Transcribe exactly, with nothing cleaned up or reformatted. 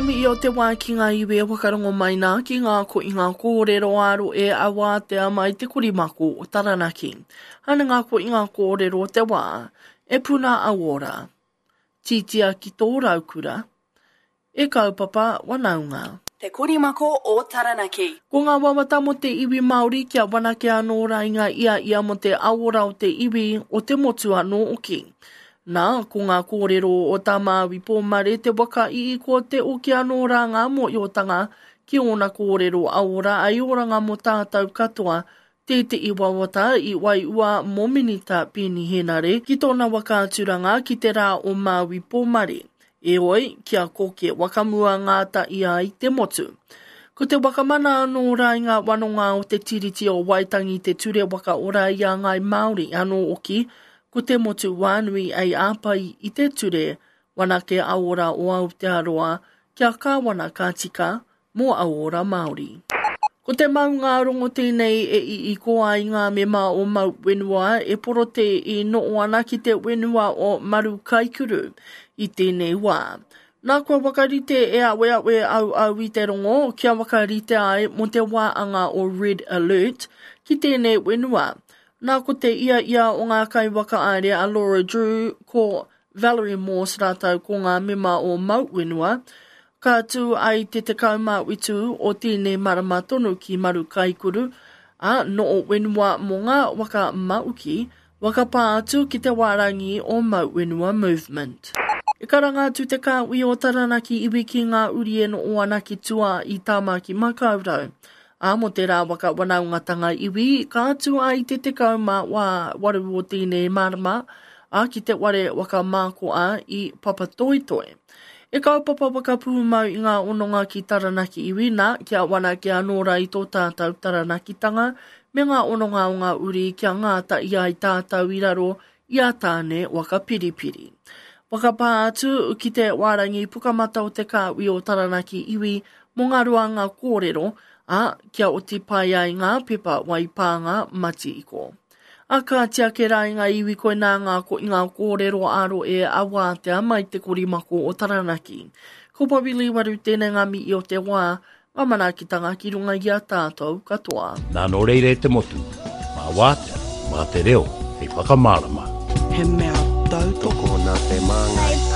mihi o te wā ki ngā iwi e whakarongo mai nā ki ngā ko i ngā kōrero aro e awātea mai te korimako o Taranaki. Hana ngā ko i ngā kōrero o te wā, e puna auora. Titia ki tō raukura, e kaupapa wanaunga. Te Korimako o Taranaki. Ko ngā wawata mo te iwi Māori kia wanake anō rā i ngā ia ia mo te aora o te iwi o te motu anō oki. Nā, ko ngā kōrero o tā Māui Pōmare te waka i ko te oki anō rā ngā mōiotanga ki ōna kōrero aora ai oranga mō tātou katoa, tētehi wawata i waiua mō Minita Peeni Henare ki tōna waka aturanga ki te rā o Māui Pōmare. Eoi, kia koke wakamua ngāta ia i te motu. Ko te wakamana anō rā i ngā wanonga o te Tiriti o Waitangi te ture waka ora i a Ngai Māori anō oki, ko te motu wānui ei āpai i te ture wanake aora o Aotearoa kia kāwana ka tika mō aora Māori. Ko te maunga rongo tēnei e i i ko ai ngā mema o Mau Wenua e porote i noo ana ki te wenua o Maru Kaikuru i tēnei wā. Nā kua wakarite e awe awe au au i te rongo kia wakarite ai mo te wā anga o Red Alert ki tēnei wenua. Nā ko te ia ia o ngā kai wakaare a Laura Drew ko Valerie Morse rātou ko ngā mema o Mau Wenua, ka tū ai te tekau mā witu o tēnei marama tonu ki Maru Kaikuru, a noo wenua mō ngā waka mauki, waka pā atu ki te wārangi o Mau Wenua Movement. E karanga atu te kāwi o Taranaki iwi ki ngā uri e noo ana ki tua i Tāmaki Makaurau. A mo te rā waka wanaungatanga iwi, ka atu ai te tekau mā wā waru o tēnei marama, a ki te ware waka mākoa i Papatoetoe. E kaupapa whakapūmau i ngā ononga ki Taranaki iwi nā, kia wanake anō rā i tō tātou Taranakitanga, me ngā ononga o ngā uri kia ngāta i ai tātou i raro i a tāne waka piripiri. Whakapā atu ki te wārangi pukamata o te kāwi o Taranaki iwi mō ngā ruanga kōrero, a kia oti pai ai ngā pepa waipānga matiiko. A ka tiake rā i ngā iwi koe nā ngā ko i ngā kōrero aro e awātea mai te korimako o Taranaki. Ko Pawili Waru tēnei ngā mihi o te wā, ngā manaakitanga ki runga i a tātou katoa. Nā nō reira e te motu, mā wātea, mā te reo, hei whakamārama. He mea tautoko Tokona te māngai.